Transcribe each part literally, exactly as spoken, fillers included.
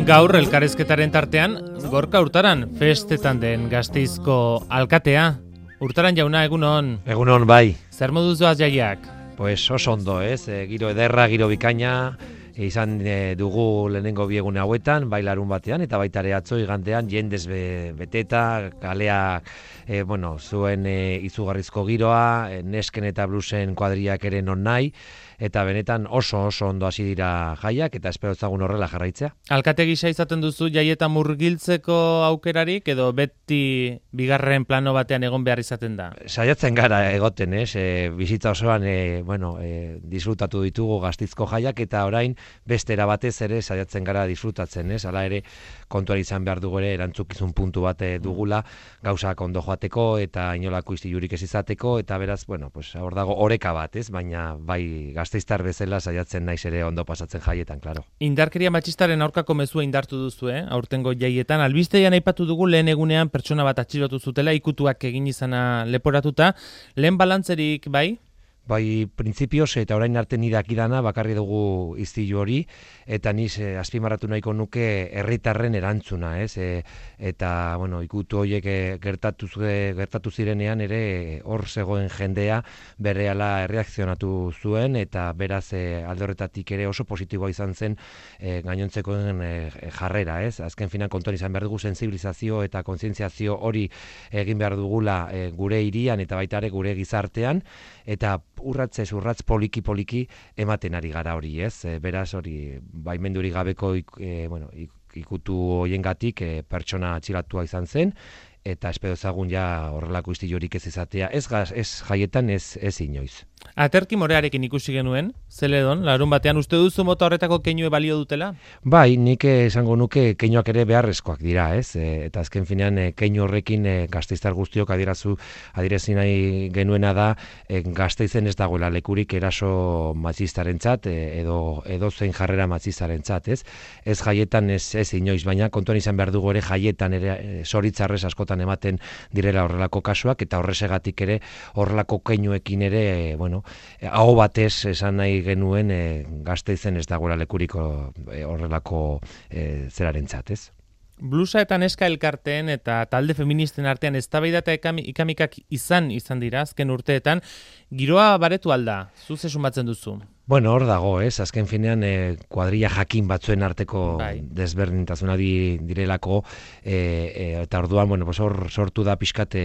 Gaur elkarrizketaren tartean, Gorka Urtaran festetan den Gasteizko alkatea. Urtaran jauna, egunon. Egunon, bai. Zer moduz doaz jaiak? Pues oso ondo, ez? E, giro ederra, giro bikaina, e, izan e, dugu lehenengo biegune hauetan, bai larun batean, eta baita ere atzo igandean jendez be, beteta, kalea, e, bueno, zuen e, izugarrizko giroa, e, nesken eta bluesen kuadriak ere non nahi, eta benetan oso oso ondo hasi dira jaiak, eta espero ezagun horrela jarraitzea. Alkate gisa izaten duzu jaietan murgiltzeko aukerarik, edo beti bigarren plano batean egon behar izaten da? Saiatzen gara egoten, ez? E, bizitza osoan, e, bueno, e, disfrutatu ditugu Gasteizko jaiak, eta orain beste era batez ere saiatzen gara disfrutatzen, ez? Hala ere kontuan izan behar dugu ere erantzukizun puntu bat dugula, gauzak ondo joateko eta inolako istilurik ez izateko, eta beraz, bueno, pues hor dago oreka bat, ez? Baina bai Gasteiztar bezala saiatzen naiz ere ondo pasatzen jaietan, claro. Indarkeria matxistaren aurkako mezua indartu duzu, eh? Aurtengo jaietan albistean aipatu dugu lehen egunean pertsona bat atxilotu zutela, ikutuak egin izana leporatuta. Lehen balantzerik bai? Bai, printzipioz eta orain arte ni dakidana bakarri dugu istilu hori, eta niz e, azpimarratu nahiko nuke herritarren erantzuna, ez? E, eta, bueno, ikutu horiek e, gertatu, gertatu zirenean ere hor zegoen jendea berehala erreakzionatu zuen, eta beraz e, alde horretatik ere oso positiboa izan zen e, gainontzekoen e, jarrera, ez? Azken finan kontuan izan behar dugu sensibilizazio eta kontzientziazio hori egin behar dugula e, gure hirian eta baita ere gure gizartean, eta urratzez urratz poliki-poliki ematen ari gara hori, ez? E, beraz hori baimenduri gabeko ik, e, bueno, ikutu hoiengatik e, pertsona atxilatua izan zen, eta espero ezagun ja horrelako istilurik ez izatea, ez, ez jaietan, ez, ez inoiz. Aterki morearekin ikusi genuen, Zeledon, larun batean, uste duzu mota horretako keinue balio dutela? Bai, nik esango nuke keinuak ere beharrezkoak dira, ez? E, eta azken finean e, keinu horrekin e, Gasteiztar guztiok adierazu, adierezi nahi genuena da e, Gasteizen ez dagoela lekurik eraso matxistarentzat e, edo, edo zein jarrera matxistarentzat, ez? Ez jaietan ez, ez inoiz, baina kontuan izan behar dugu ere jaietan ere e, zoritzarrez askotan ematen direla horrelako kasuak, eta horresegatik ere horrelako keinuekin ere, e, bueno, aho batez esan nahi genuen e, Gasteizen ez dagoela lekuriko e, horrelako e, zerarentzat, ez? Blusa eta neska elkarteen eta talde feministen artean eztabaida eta ikamikak izan izan dira azken urteetan, giroa baretu alda, zu ze sumatzen duzu? Bueno, hor dago, ez? Azken finean e, kuadrilla jakin batzuen arteko bai. Desberdintasuna di, direlako e, e, eta orduan, bueno, pues hor sortu da pixkat e,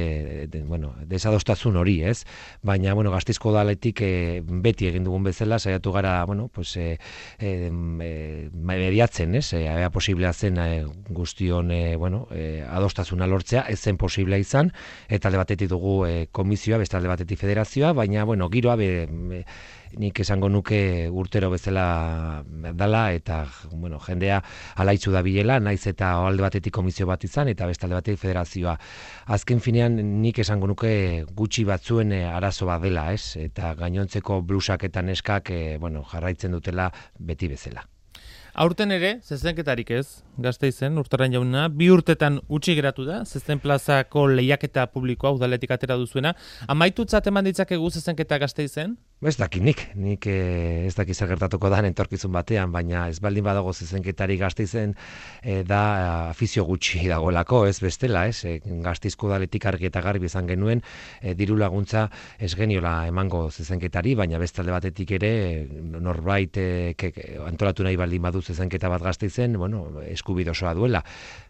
de, bueno, desadostasuna hori, ez? Baina, bueno, Gasteizko udaletik e, beti egin dugun bezala saiatu gara, bueno, pues e, e, e, mediatzen, ez? E, ea posiblea zen e, guztion e, bueno, e, adostasuna lortzea, ez zen posiblea izan, eta alde batetik dugu e, komisioa, beste alde batetik federazioa, baina, bueno, giroa be, be, nik esango nuke urtero bezala dala, eta bueno, jendea alaitzu da bilela, naiz eta alde batetik komisio bat izan, eta beste alde batetik federazioa. Azken finean nik esango nuke gutxi batzuen arazo bat dela, ez? Eta gainontzeko blusak eta neskak bueno, jarraitzen dutela beti bezala. Aurten ere, zezenketarik ez, Gasteizen, Urtaran jauna, bi urtetan utzi geratu da, zezen plazako lehiaketa publikoa udaletik atera duzuena. Amaitutzat eman ditzakegu zezenketa Gasteizen? Ez dakit nik, nik eh, ez dakit zer gertatuko da entorkizun batean, baina ez baldin badago zezenketari Gasteizen eh, da afizio gutxi dagoelako, ez bestela, ez? E, Gasteizko udaletik argi eta garbi izan genuen, e, diru laguntza ez geniola emango zezenketari, baina beste alde batetik ere norbait e, ke, antolatu nahi baldin badu zezenketa bat Gasteizen, bueno, eskubide osoa duela.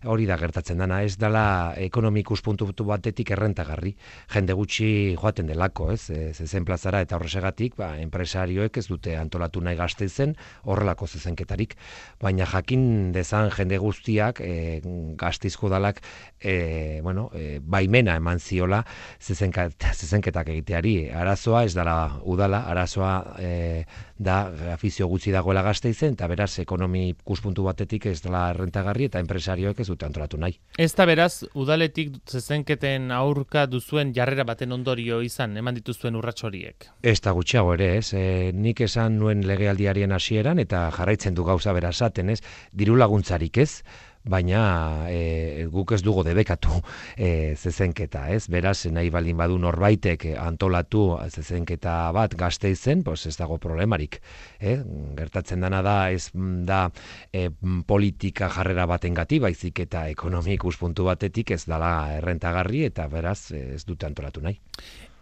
Hori da gertatzen dana, ez dela ekonomikus puntu batetik errentagarri. Jende gutxi joaten delako, ez? E, zezen plazara eta horresegatik, ba, enpresarioek ez dute antolatu nahi Gasteizen horrelako zezenketarik. Baina jakin dezan jende guztiak e, Gasteizko udalak e, bueno, e, baimena eman ziola zezenket, zezenketak egiteari. Arazoa ez dela udala, arazoa e, da afizio gutxi dagoela Gasteizen, eta beraz ekonomi ikuspuntu batetik ez dela errentagarri eta enpresarioek ez dute antolatu nahi. Ez da beraz, udaletik zezenketen aurka duzuen jarrera baten ondorio izan, eman dituzuen urrats horiek? Ez da gutxiago ere, ez. E, nik esan nuen legealdiarien hasieran eta jarraitzen du gauza bera esaten, ez. Diru laguntzarik ez, baina e, guk ez dugu debekatu e, zezenketa, ez? Beraz, nahi baldin badu norbaitek antolatu zezenketa bat Gasteizen, pues ez dago problemarik. Eh? Gertatzen dana da, ez da e, politika jarrera batengati, baizik eta ekonomi ikuspuntu batetik ez dala errentagarri eta beraz ez dute antolatu nahi.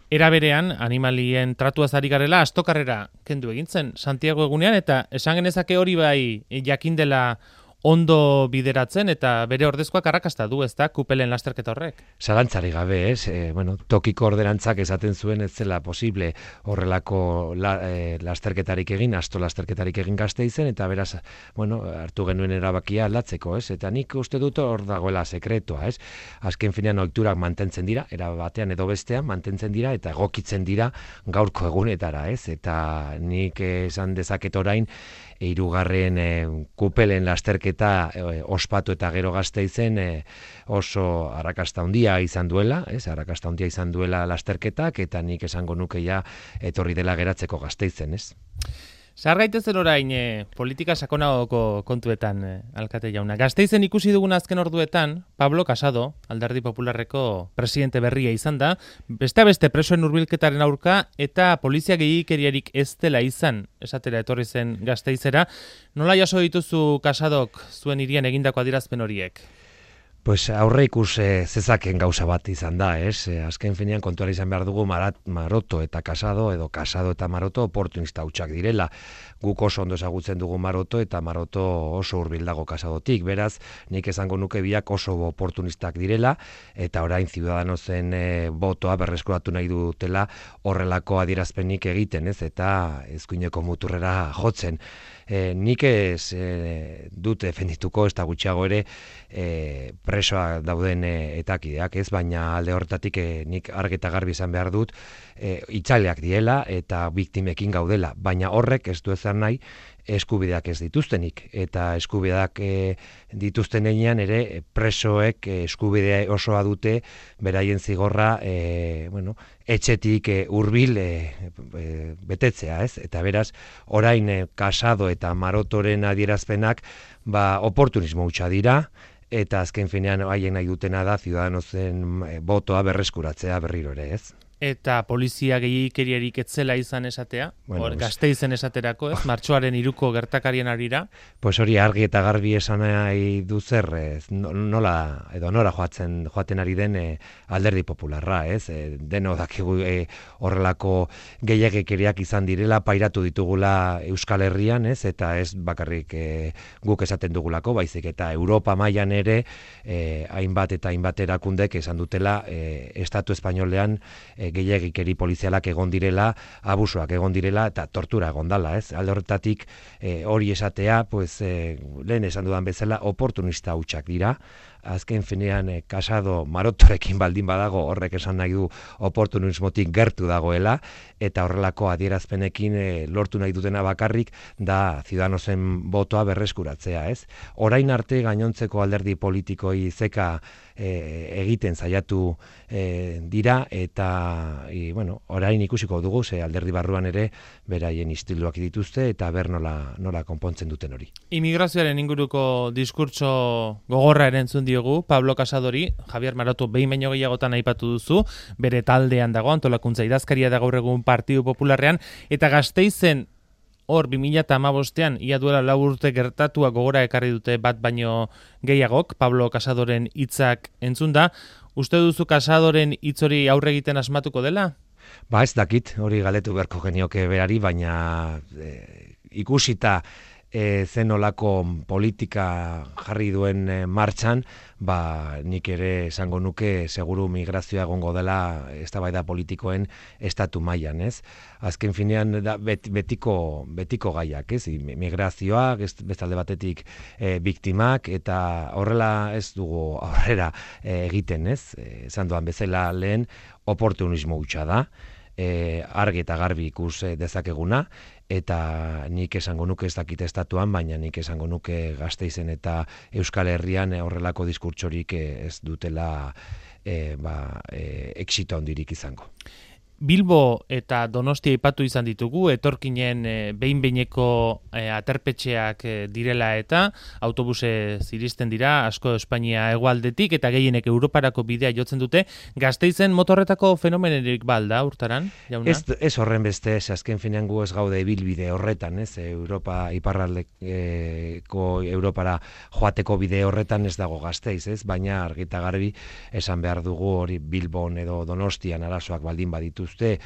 Era berean, animalien tratuaz ari garela, astokarrera kendu egintzen Santiago egunean, eta esan genezake hori bai jakin dela ondo bideratzen eta bere ordezkoak arrakasta du, ezta, kupelen lasterketa horrek. Zalantzari gabe, ez? E, bueno, tokiko ordenantzak esaten zuen ez zela posible horrelako la, e, lasterketarik egin, asto lasterketarik egin Gasteizen, eta beraz, bueno, hartu genuen erabakia aldatzeko, ez? Eta nik uste dut hor dagoela sekretua, ez? Azken finean ohiturak mantentzen dira, era batean edo bestean mantentzen dira eta egokitzen dira gaurko egunetara, ez? Eta nik esan dezaket orain hirugarren e, kupelen lasterketa e, ospatu eta gero Gasteizen e, oso arrakasta handia izan duela, ez? Arrakasta handia izan duela lasterketak eta nik esango nuke ja etorri dela geratzeko Gasteizen, ez? Zahar gaitezen orain e, politika sakonagoko kontuetan, e, alkate jauna. Gasteizen ikusi dugun azken orduetan, Pablo Casado, Alderdi Popularreko presidente berria izan da, beste beste presoen hurbilketaren aurka eta polizia gehiikeriarik ez dela izan, esatera etorri zen Gasteizera. Nola jaso dituzu Casadok zuen hirian egindako adierazpen horiek? Pues aurre ikus e, zezaken gauza bat izan da, ez? E, azken finean kontuara izan behar dugu Marat, Maroto eta Casado, edo Casado eta Maroto oportunista hutsak direla. Guk oso ondo ezagutzen dugu Maroto eta Maroto oso hurbil dago Casadotik. Beraz, nik esango nuke biak oso oportunistak direla, eta orain Ciudadanosen e, botoa berreskuratu nahi dutela horrelako adierazpenik egiten, ez? Eta eskuineko muturrera jotzen. E, nik ez e, dut defendituko, ez da gutxiago ere e, presoak dauden e, etakideak, ez, baina alde horretatik e, nik argi eta garbi izan behar dut e, itzaleak diela eta biktimekin gaudela, baina horrek ez du ezan nahi eskubideak ez dituztenik, eta eskubideak e, dituzten heinean ere presoek e, eskubidea osoa dute beraien zigorra e, bueno, etxetik e, hurbil e, e, betetzea, ez? Eta beraz, orain e, Casado eta Marotoren adierazpenak ba, oportunismo hutsa dira, eta azken finean haien nahi dutena da Ciudadanosen e, botoa berreskuratzea berriro ere, ez? Eta polizia gehiikeriarik etzela izan esatea, bueno, hor, Gasteizen esaterako, ez? Martxoaren iruko gertakarien arira. Pues hori argi eta garbi esan nahi du zer, ez? Nola, edo nora joatzen, joaten ari den e, Alderdi Popularra, ez? E, deno dakigu e, horrelako gehiagikeriak izan direla, pairatu ditugula Euskal Herrian, ez? Eta ez bakarrik e, guk esaten dugulako, baizik eta Europa mailan ere e, hainbat eta hainbat erakundek esan dutela e, Estatu Espainolean e, gehiagikeri polizialak egon direla, abusuak egon direla eta tortura egon dala, ez? Alde horretatik e, hori esatea, pues, e, lehen esan dudan bezala, oportunista hutsak dira. Azken finean e, Casado Marotorekin baldin badago horrek esan nahi du oportunismotik gertu dagoela, eta horrelako adierazpenekin e, lortu nahi dutena bakarrik da Ciudadanosen botoa berreskuratzea, ez? Orain arte gainontzeko alderdi politikoi zeka e, egiten saiatu e, dira, eta e, bueno, orain ikusiko dugu, ze alderdi barruan ere beraien istiluak dituzte, eta ber nola, nola konpontzen duten hori. Immigrazioaren inguruko diskurtso gogorra ere entzun diogu Pablo Casadori, Javier Maroto behin baino gehiagotan aipatu duzu, bere taldean dago, antolakuntza idazkaria da gaur egun Partidu Popularrean, eta Gasteizen hor bi mila hamabostean ia duela lau urte gertatua gogora ekarri dute bat baino gehiagok, Pablo Casadoren hitzak entzun da. Uste duzu Casadoren hitz hori aurre egiten asmatuko dela? Ba ez dakit, hori galetu beharko genioke berari, baina e, ikusita e, zenolako politika jarri duen e, martxan, ba nik ere esango nuke seguru migrazioa egongo dela eztabaida politikoen estatu mailan, ez? Azken finean da bet, betiko betiko gaiak, ez? Migrazioa, bestalde batetik e, biktimak, eta horrela ez dugu aurrera e, egiten, ez? Esan duan bezala lehen oportunismo hutsa da, e, argi eta garbi ikus dezakeguna, eta nik esango nuke ez dakit estatuan, baina nik esango nuke Gasteizen eta Euskal Herrian horrelako diskurtsorik ez dutela e, ba, e, exito handirik izango. Bilbo eta Donostia aipatu izan ditugu, etorkinen e, behin-behineko e, aterpetxeak e, direla eta autobuse ziristen dira, asko Espainia hegoaldetik eta gehienek Europarako bidea jotzen dute. Gasteizen motorretako fenomenerik balda, urtaran, jauna? Ez, ez horren beste, ez azken finean gu ez gaude ibilbide horretan, ez, Europa, iparraldeko Europara joateko bide horretan ez dago Gasteiz, ez, baina argita garbi esan behar dugu hori Bilbon edo Donostian arazoak baldin baditu E,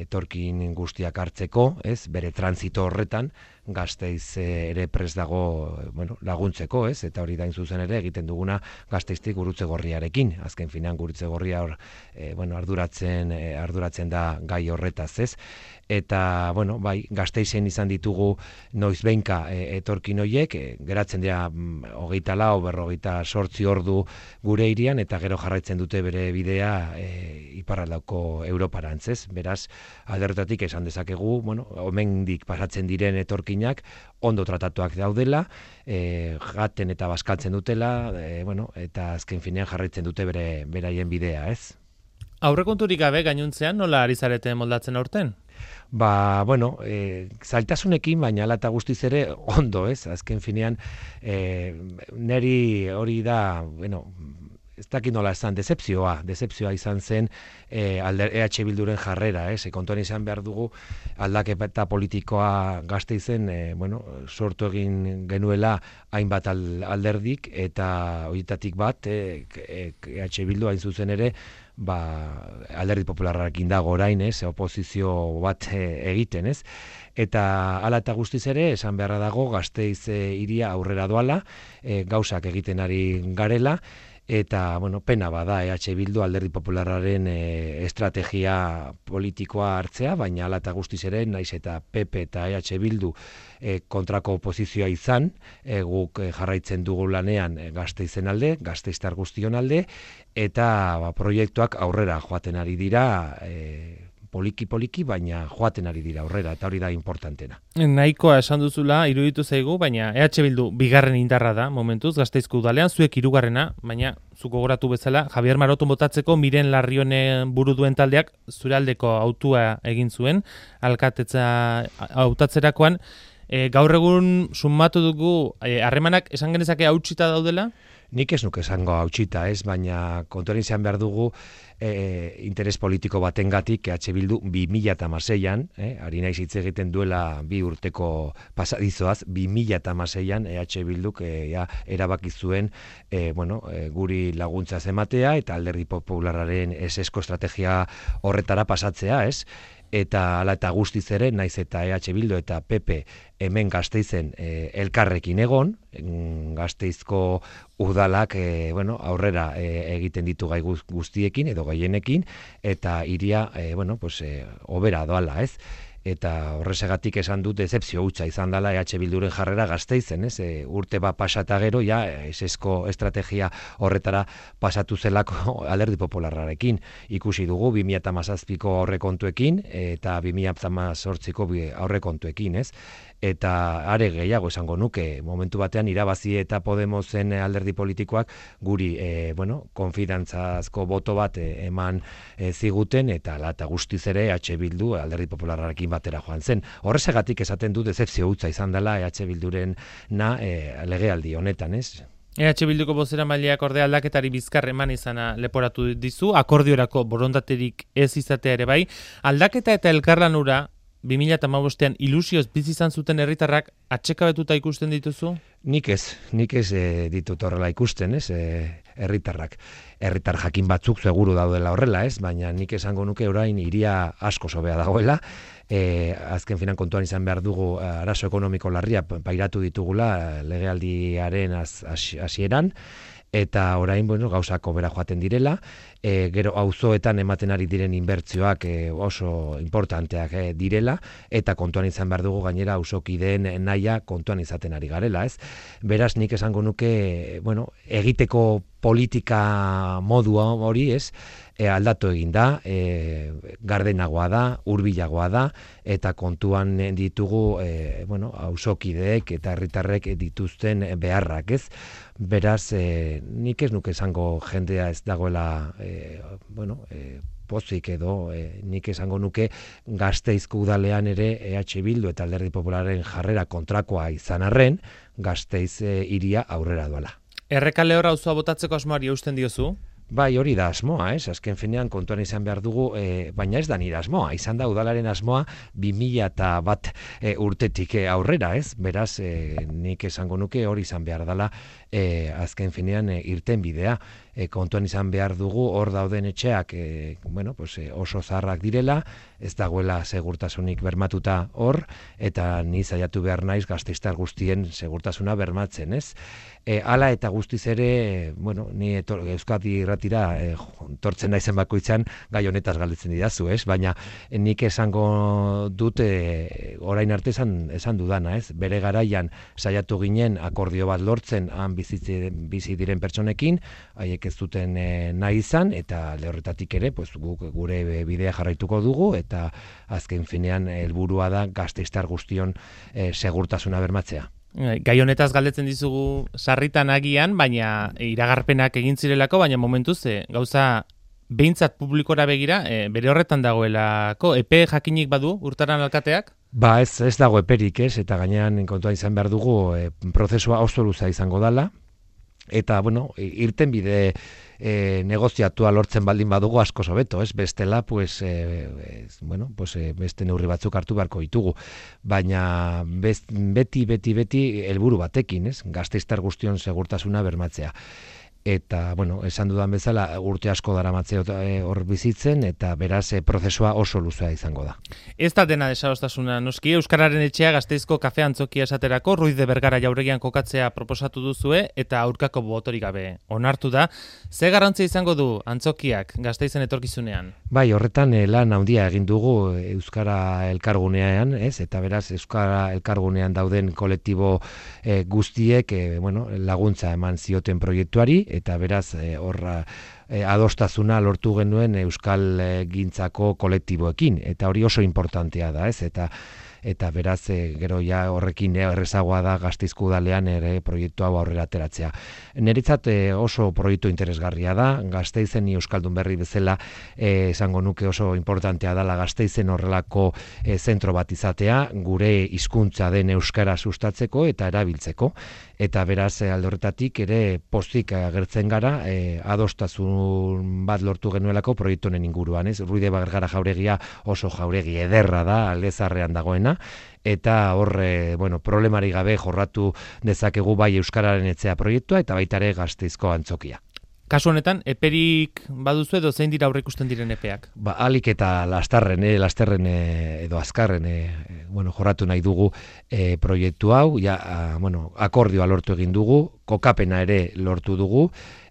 etorkin guztiak hartzeko, ez, bere transito horretan, Gasteiz ere prest dago, bueno, laguntzeko, ez, eta hori dain zuzen ere egiten duguna Gasteiztik Gurutze Gorriarekin, azken finean Gurutze Gorria hor, e, bueno, arduratzen, e, arduratzen da gai horretaz, ez, eta, bueno, bai, Gasteizen izan ditugu noiz behinka e, etorkin hoiek, e, geratzen dira mm, hogeita lau, berrogeita sortzi ordu gure irian, eta gero jarraitzen dute bere bidea e, iparraldako Europarantz, ez, beraz, aldertatik esan dezakegu, bueno, omendik pasatzen diren etorkinak ondo tratatuak daudela, e, jaten eta bazkaltzen dutela, e, bueno, eta azken finean jarraitzen dute bere beraien bidea, ez? Aurrekonturik gabe gainuntzean nola ari zarete moldatzen aurten? Ba, bueno, e, zailtasunekin, baina ala eta guztiz ere ondo, ez? Azken finean, e, neri hori da, bueno, ez dakit nola esan, decepzioa, decepzioa izan zen e, alder, E H Bilduren jarrera, ez? E, kontuan izan behar dugu aldaketa politikoa Gasteizen, e, bueno, sortu egin genuela hainbat alderdik, eta horietatik bat, e, E H Bildu hain zuzen ere, ba, alderdi popularrarekin dago orain, ez, oposizio bat e, egiten, ez, eta hala eta guztiz ere, esan beharra dago, Gasteiz e, iria aurrera doala, e, gauzak egiten ari garela, eta, bueno, pena bada E H Bildu alderdi popularraren e, estrategia politikoa hartzea, baina hala eta guztiz ere, naiz eta P P eta E H Bildu e, kontrako oposizioa izan, e, guk e, jarraitzen dugu lanean e, Gasteizen alde, Gasteiztar guztion alde, eta ba, proiektuak aurrera joaten ari dira, e, poliki-poliki, baina joaten ari dira aurrera, eta hori da importantena. Nahikoa esan duzula, iruditu zaigu, baina E H Bildu bigarren indarra da, momentuz, Gasteizko udalean, zuek hirugarrena, baina zuko gogoratu bezala, Javier Maroto botatzeko Miren Larrionen buru duen taldeak zure aldeko autua egin zuen, alkatetza hautatzerakoan. E, gaur egun sumatu dugu, harremanak e, esan genezake hautsita daudela? Nik ez nuke esango hautsita, ez, baina kontuan izan behar dugu e, interes politiko batengatik E H Bildu bi mila hamaseian, eh, ari naiz hitz egiten duela bi urteko pasadizoaz, bi mila hamaseian E H Bilduk e, ja, erabaki zuen e, bueno, e, guri laguntza ematea eta alderdi popularraren esesko estrategia horretara pasatzea, ez? Eta hala eta guztiz ere, naiz eta E H Bildu eta P P hemen Gasteizen e, elkarrekin egon, Gasteizko udalak e, bueno, aurrera e, egiten ditu gai guztiekin edo gaienekin, eta iria, e, bueno, pues, e, obera doala, ez? Eta horrezegatik esan dut decepzio hutsa izan dela E H Bilduren jarrera Gasteizen, ez? E, urte bat pasata gero, ja, esesko estrategia horretara pasatu zelako alderdi popularrarekin. Ikusi dugu bi mila hamazazpiko aurrekontuekin eta bi mila hemezortziko aurrekontuekin, ez? Eta are gehiago esango nuke, momentu batean irabazi eta Podemosen alderdi politikoak guri, e, bueno, konfidantzazko boto bat e, eman e, ziguten, eta lata guztiz ere E H Bildu alderdi popularrarekin batera joan zen. Horrezegatik esaten du dezepzio hutsa izan dela E H Bilduren na e, legealdi honetan, ez? E H Bilduko bozera maileak ordea aldaketari bizkar eman izana leporatu dizu, akordiorako borondaterik ez izatea ere bai, aldaketa eta elkarlanura bi mila hamabostean ilusioz bizi izan zuten herritarrak atsekabetuta ikusten dituzu? Nik ez, nik ez e, ditut horrela ikusten, ez, e, herritarrak. Herritar jakin batzuk seguru daudela horrela, ez, baina nik esango nuke orain iria asko sobea dagoela. E, azken finan kontuan izan behar dugu arazo ekonomiko larria pairatu ditugula legealdiaren hasieran, eta orain, bueno, gauzako bera joaten direla, e, gero auzoetan ematen ari diren inbertzioak e, oso importanteak e, direla, eta kontuan izan behar dugu gainera auzokideen nahia kontuan izaten ari garela, ez? Beraz, nik esango nuke, bueno, egiteko politika modua hori, ez, e, aldatu egin da, e, gardenagoa da, hurbilagoa da, eta kontuan ditugu, e, bueno, auzokideek eta herritarrek dituzten beharrak, ez? Beraz, e, nik ez nuke esango jendea ez dagoela, e, bueno, e, pozik edo e, nik esango nuke Gasteizko udalean ere E H Bildu eta Alderdi Popularren jarrera kontrakoa izan arren, Gasteiz e, iria aurrera doala. Errekale hor auzoa botatzeko asmoari eusten diozu? Bai, hori da asmoa, ez? Azken finean kontuan izan behar dugu, e, baina ez da nire asmoa. Izan da udalaren asmoa bi mila eta bat e, urtetik e, aurrera, ez? Beraz, e, nik esango nuke hori izan behar dela e, azken finean e, irten bidea. E, kontuan izan behar dugu hor dauden etxeak e, bueno, pues, e, oso zaharrak direla, ez dagoela segurtasunik bermatuta hor, eta ni saiatu behar naiz gasteiztar guztien segurtasuna bermatzen, ez? E, hala eta guztiz ere, bueno, ni etor, Euskadi irratira e, tortzen naizen bakoitzan gai honetaz galdetzen didazu, ez? Baina nik esango dut e, orain arte esan, esan dudana, ez? Bere garaian saiatu ginen akordio bat lortzen han bizitze, bizi diren pertsonekin, haiek ez duten e, nahi izan, eta lehorretatik ere, pues, guk gure bidea jarraituko dugu, eta azken finean helburua da gasteiztar guztion e, segurtasuna bermatzea. Gai honetaz galdetzen dizugu sarritan agian, baina iragarpenak egin zirelako, baina momentuz e, gauza behintzat publikora begira, e, bere horretan dagoelako, epe jakinik badu urtaran alkateak? Ba, ez, ez dago eperik, ez, eta gainean kontuan izan behar dugu e, prozesua oso luza izango dala, eta, bueno, irten bide e, negoziatua lortzen baldin badugu asko hobeto, ez? Bestela, pues, e, ez, bueno, pues, e, beste neurri batzuk hartu beharko ditugu. Baina best, beti, beti, beti helburu batekin, ez? Gasteiztar guztion segurtasuna bermatzea. Eta, bueno, esan dudan bezala, urte asko daramatze hor bizitzen, eta beraz e, prozesua oso luzea izango da. Ez da dena desadostasuna, noski, Euskararen etxea Gasteizko kafe antzokia esaterako Ruiz de Bergara jauregian kokatzea proposatu duzue, eta aurkako botorik gabe onartu da. Ze garrantzia izango du antzokiak Gasteizen etorkizunean? Bai, horretan e, lan handia egin dugu Euskara elkargunean, ez? Eta beraz, Euskara elkargunean dauden kolektibo e, guztiek e, bueno, laguntza eman zioten proiektuari, eta beraz horra e, adostasuna lortu genuen Euskal e, gintzako kolektiboekin, eta hori oso importantea da, ez? Eta eta beraz e, gero ja horrekin errezagoa da Gasteizko udalean ere proiektu hau aurrera ateratzea. Niretzat e, oso proiektu interesgarria da, Gasteizen ni euskaldun berri bezala e, esango nuke oso importantea dela Gasteizen horrelako e, zentro bat izatea, gure hizkuntza den euskara sustatzeko eta erabiltzeko. Eta beraz alde horretatik ere pozik agertzen gara e, adostasun bat lortu genuelako proiektu honen inguruan, ez? Ruiz de Bergara jauregia oso jauregi ederra da, aldezarrean dagoena, eta hor e, bueno, problemari gabe jorratu dezakegu bai euskararen etxea proiektua eta baita ere Gasteizko antzokia. Kasu honetan, eperik baduzu edo zein dira aurreikusten diren epeak? Ba, alik eta lasterren, eh, lasterren eh, edo azkarren eh, bueno, jorratu nahi dugu eh, proiektu hau, ja, a, bueno, akordioa lortu egin dugu, kokapena ere lortu dugu,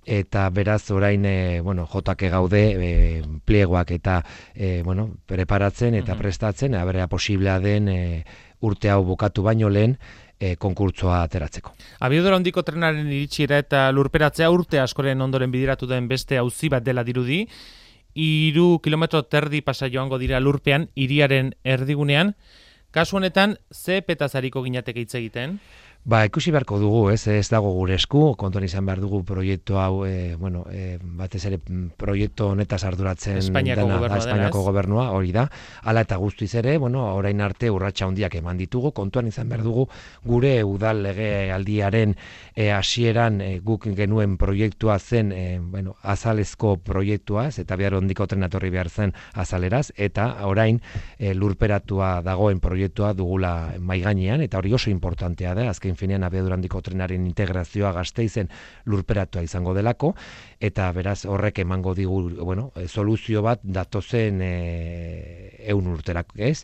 eta beraz orain e, bueno, jotake gaude e, pliegoak eta e, bueno, preparatzen eta prestatzen, abrea posiblea den e, urte hau bukatu baino lehen, E, konkurtsoa ateratzeko. Abiadura handiko trenaren iritsiera eta lurperatzea urte askoren ondoren bideratu den beste auzi bat dela dirudi, hiru kilometro terdi pasa joango dira lurpean, hiriaren erdigunean. Kasu honetan, ze petazariko ginateke hitz egiten? Ba, ikusi beharko dugu, ez, ez dago gure esku, kontuan izan behar dugu proiektu hau, e, bueno, e, batez ere proiektu honetaz arduratzen Espainiako dena, gobernua, Espainiako dena, gobernua, hori da, hala eta guztiz ere, bueno, orain arte urratsa handiak eman ditugu, kontuan izan behar dugu gure udal legealdiaren e, hasieran e, guk genuen proiektua zen, e, bueno, azalezko proiektua, ez, eta behar hondiko trenatorri behar zen azaleraz, eta orain e, lurperatua dagoen proiektua dugula maigainean, eta hori oso importantea da, azken finean abiadura handiko trenaren integrazioa Gasteizen lurperatua izango delako, eta beraz horrek emango digu, bueno, soluzio bat datozen e, ehun urterak, ez?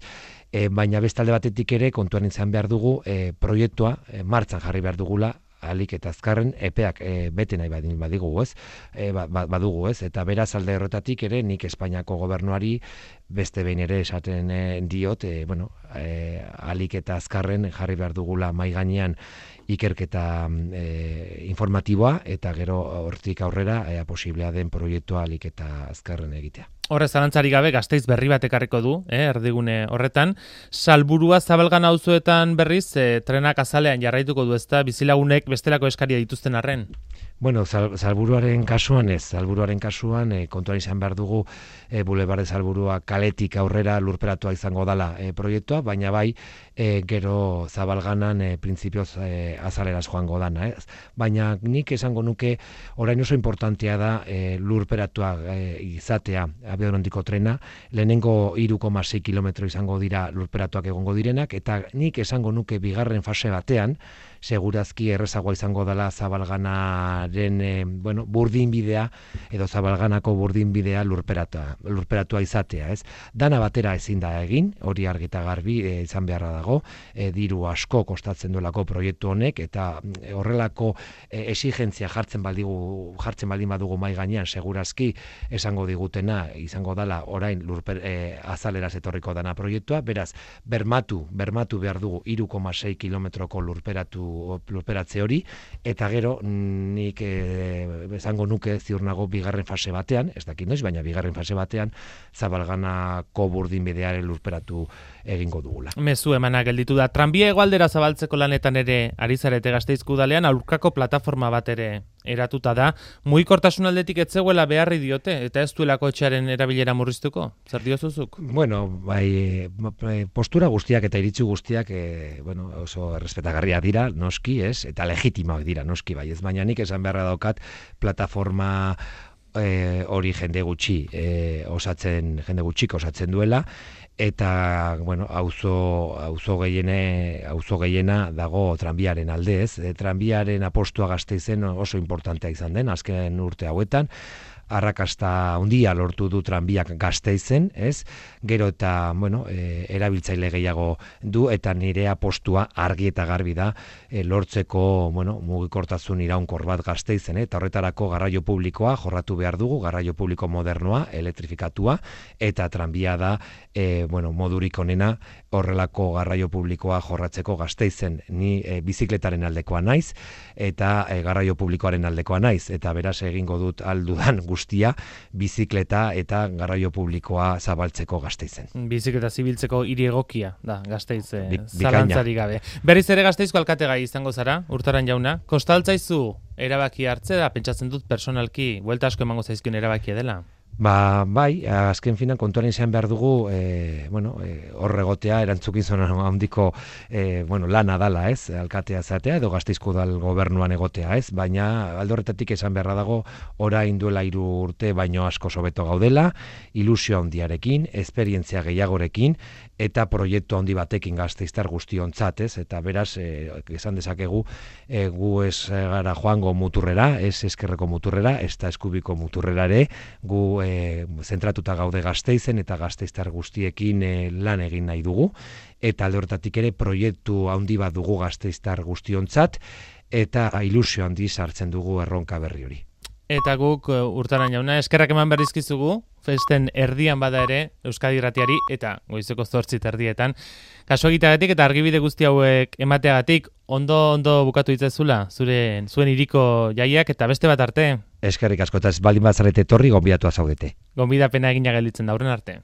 E, baina bestalde batetik ere kontuan izan behar dugu e, proiektua e, martxan jarri behar dugula, alik eta azkarren epeak e, bete nahi badin badigu, ez? E, ba, badugu, ez? Eta beraz alde horretatik ere nik Espainiako gobernuari beste behin ere esaten e, diot, e, bueno, e, alik eta azkarren jarri behar dugula mai gainean ikerketa e, informatiboa eta gero hortik aurrera e, posiblea den proiektua alik eta azkarren egitea. Horre zalantzari gabe Gasteiz berri bat ekarriko du, eh, erdigune horretan. Salburua Zabalgana auzoetan berriz, eh, trenak azalean jarraituko du, ezta bizilagunek bestelako eskaria dituzten arren. Bueno, sal, salburuaren kasuan ez, salburuaren kasuan e, kontuan izan behar dugu e, Bulebarde Salburua kaletik aurrera lurperatua izango dala e, proiektua, baina bai e, gero Zabalganan e, printzipioz e, azaleraz joango dana. Ez? Baina nik esango nuke orain oso importantea da e, lurperatua e, izatea abiadurandiko trena, lehenengo hiru koma sei kilometro izango dira lurperatuak egongo direnak, eta nik esango nuke bigarren fase batean, segurazki errezagoa izango dela Zabalganaren e, bueno, burdinbidea edo Zabalganako burdinbidea lurperatua, lurperatua izatea, ez? Dana batera ezin da egin, hori argita garbi e, izan beharra dago, e, diru asko kostatzen duelako proiektu honek, eta e, horrelako e, exigentzia jartzen baldigu, jartzen baldin badugu mai gainean, segurazki esango digutena izango dela orain lurper, e, azaleraz etorriko dana proiektua, beraz, bermatu, bermatu behar dugu hiru koma sei kilometroko lurperatu lurperatze hori, eta gero nik e, esango nuke ziur nago bigarren fase batean, ez dakit noiz, baina bigarren fase batean Zabalganako burdinbidearen lurperatu egingo dugula. Mezu emana gelditu da. Tranbia hegoaldera zabaltzeko lanetan ere ari zarete Gasteizko udalean, aurkako plataforma bat ere eratuta da. Mugikortasun aldetik ez zegoela beharri diote, eta ez duelako etxearen erabilera murriztuko? Zer diozuzuk? Bueno, bai, postura guztiak eta iritzi guztiak e, bueno, oso errespetagarria dira, noski, ez? Eta legitimoak dira, noski, bai. Ez baina nik esan beharra daukat plataforma e, hori jende gutxi e, osatzen, jende gutxik osatzen duela, eta bueno, auzo auzo gehiene auzo gehiena dago tranbiaren alde, ez? E, tranbiaren apostua Gasteizen oso importantea izan den azken urte hauetan. Arrakasta handia lortu du tranbiak Gasteizen, ez? Gero eta, bueno, e, erabiltzaile gehiago du, eta nire apostua argi eta garbi da e, lortzeko, bueno, mugikortasun iraunkor bat Gasteizen, eta horretarako garraio publikoa jorratu behar dugu, garraio publiko modernoa, elektrifikatua, eta tranbia da, e, bueno, modurik onena horrelako garraio publikoa jorratzeko Gasteizen. Ni e, bizikletaren aldekoa naiz, eta e, garraio publikoaren aldekoa naiz, eta beraz egingo dut aldudan guztia bizikleta eta garraio publikoa zabaltzeko Gasteizen. Bizikleta zibiltzeko hiri egokia da Gasteiz zalantzari gabe. Berriz ere Gasteizko alkategai izango zara, Urtaran jauna. Kostaltzaizu erabaki hartze da, pentsatzen dut personalki buelta asko emango zaizkion erabakia dela. Ba, bai, azken finan kontuaren izan behar dugu, e, bueno, e, horregotea erantzukizun handiko e, bueno, lana dala, ez, alkatea zatea edo Gasteizko udal gobernuan egotea, ez, baina alde horretatik esan beharra dago orain duela hiru urte baino asko hobeto gaudela, ilusio handiarekin, esperientzia gehiagorekin, eta proiektu handi batekin gasteiztar guztiontzat, ez, eta beraz, e, esan dezakegu, e, gu ez gara joango muturrera, ez eskerreko muturrera, ez da eskubiko muturrera ere, gu E, zentratuta gaude Gasteizen eta gasteiztar guztiekin e, lan egin nahi dugu, eta alde horretatik ere proiektu handi bat dugu gasteiztar guztiontzat, eta ilusio handi sartzen dugu erronka berri hori. Eta guk Urtaran jauna eskerrak eman berrizkizugu, festen erdian bada ere Euskadi Irratiari eta goizeko zortzi erdietan. Kaso egiteagatik eta argibide guzti hauek emateagatik ondo ondo bukatu itzazula zure zuen hiriko jaiak eta beste bat arte. Eskerrik asko, eta ez baldin bat zarete etorri gonbidatu zaudete. Gonbidapena egina gelditzen da, horren arte.